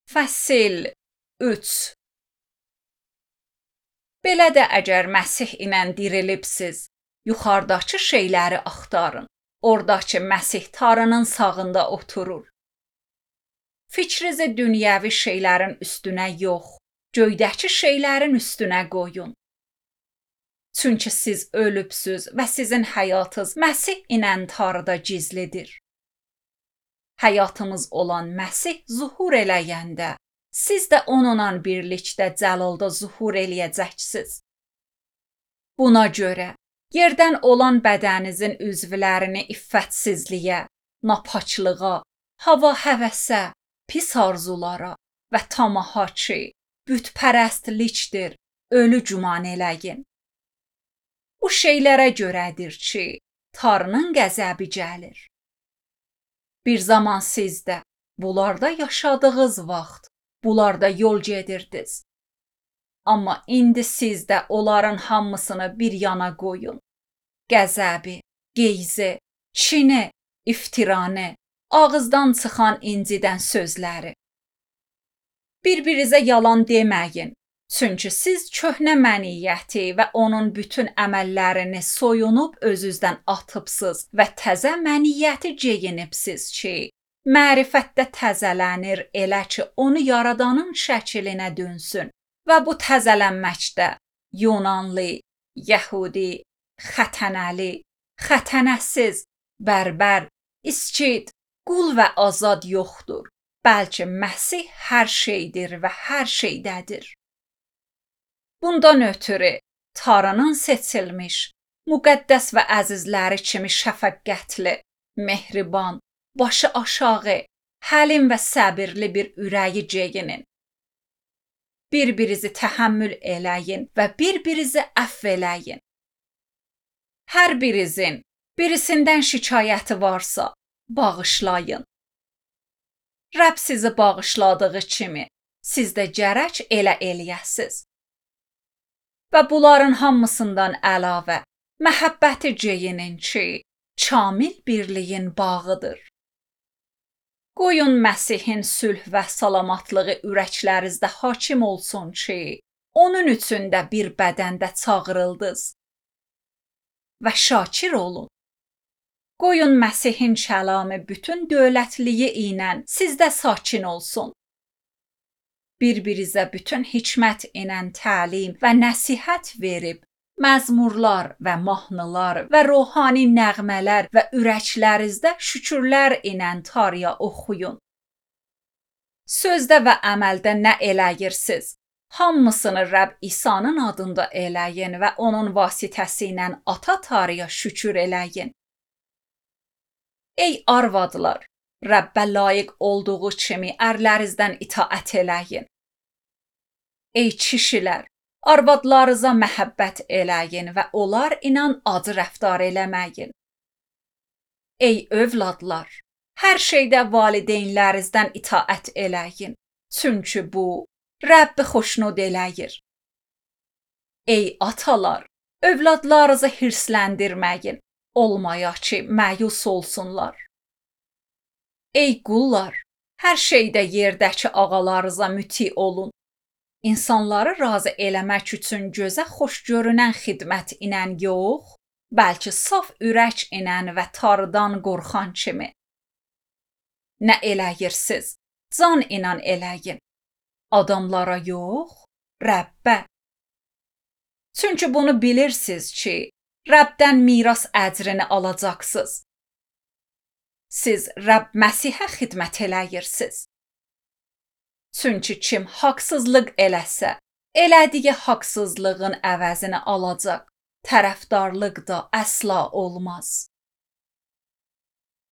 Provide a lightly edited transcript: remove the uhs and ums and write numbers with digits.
Fəsil 3. Belə də əgər Məsih ilə dirilibsiz, yuxarıdakı şeyləri axtarın. Oradakı Məsih tarının sağında oturur. Fikrinizi dünyəvi şeylərin üstünə yox, göydəki şeylərin üstünə qoyun. Çünki siz ölübsüz və sizin həyatınız Məsih ilə tarıda gizlidir. Həyatımız olan Məsih zuhur eləyəndə, siz də onunla birlikdə cəlalda zuhur eləyəcəksiniz. Buna görə, yerdən olan bədəninizin üzvlərini iffətsizliyə, napaçlığa, hava həvəsə, pis arzulara və tamaha ki, bütpərəstlikdir, ölü güman eləyin. Bu şeylərə görədir ki, Tanrının qəzəbi gəlir. Bir zaman siz də bunlarda yaşadığınız vaxt, bunlarda yol gedirdiniz. Amma indi siz də onların hamısını bir yana qoyun. Qəzəbi, qeyzi, kini, iftiranı, ağızdan çıxan incidən sözləri. Bir-birinizə yalan deməyin. Çünki siz köhnə məniyyəti və onun bütün əməllərini soyunub özünüzdən atıbsınız və təzə məniyyəti geyinibsiz ki, mərifətdə təzələnir elə ki, onu yaradanın şəklinə dönsün və bu təzələnməkdə Yunanlı, Yəhudi, xətənəli, xətənəsiz, bərbər, İskit, qul və azad yoxdur, bəlkə Məsih hər şeydir və hər şeydədir. Bundan ötürü Tanrının seçilmiş, müqəddəs və əzizləri kimi şəfəqqətli, mehriban, başı aşağı, həlim və səbirli bir ürəyi geyinin. Bir-birinizi təhəmmül eləyin və bir-birinizi əfv eləyin. Hər birinizin birisindən şikayəti varsa, bağışlayın. Rəbb sizi bağışladığı kimi, siz də gərək elə eləyəsiz. Və bunların hamısından əlavə, məhəbbəti geyinin ki, kamil birliyin bağıdır. Qoyun Məsihin sülh və salamatlığı ürəklərinizdə hakim olsun ki, onun üçün də bir bədəndə çağırıldınız. Və şakir olun. Qoyun Məsihin kəlamı bütün dövlətliyi ilə sizdə sakin olsun. Bir-birinizə bütün hikmət ilə təlim və nəsihət verib, məzmurlar və mahnılar və ruhani nəğmələr və ürəklərinizdə şükürlər ilə Tanrıya oxuyun. Sözdə və əməldə nə eləyirsiniz? Hamısını Rəbb İsa'nın adında eləyin və onun vasitəsi ilə Ata Tanrıya şükür eləyin. Ey arvadlar! Rəbbə layiq olduğu kimi ərlərinizdən itaət eləyin. Ey kişilər, arvadlarınıza məhəbbət eləyin və onlar ilə acı rəftar eləməyin. Ey övladlar, hər şeydə valideynlərinizdən itaət eləyin, çünki bu Rəbbi xoşnud eləyir. Ey atalar, övladlarınızı hirsləndirməyin, olmaya ki, məyus olsunlar. Ey qullar, hər şeydə yerdəki ağalarınıza müti olun. İnsanları razı eləmək üçün gözə xoş görünən xidmət ilə yox, bəlkə saf ürək ilə və Tanrıdan qorxan kimi. Nə eləyirsiniz? Can ilə eləyin. Adamlara yox, Rəbbə. Çünki bunu bilirsiniz ki, Rəbdən miras əcrini alacaqsınız. Siz Rəbb Məsihə xidmət eləyirsiniz. Çünki kim haqsızlıq eləsə, elədiyi haqsızlığın əvəzini alacaq, tərəfdarlıq da əsla olmaz.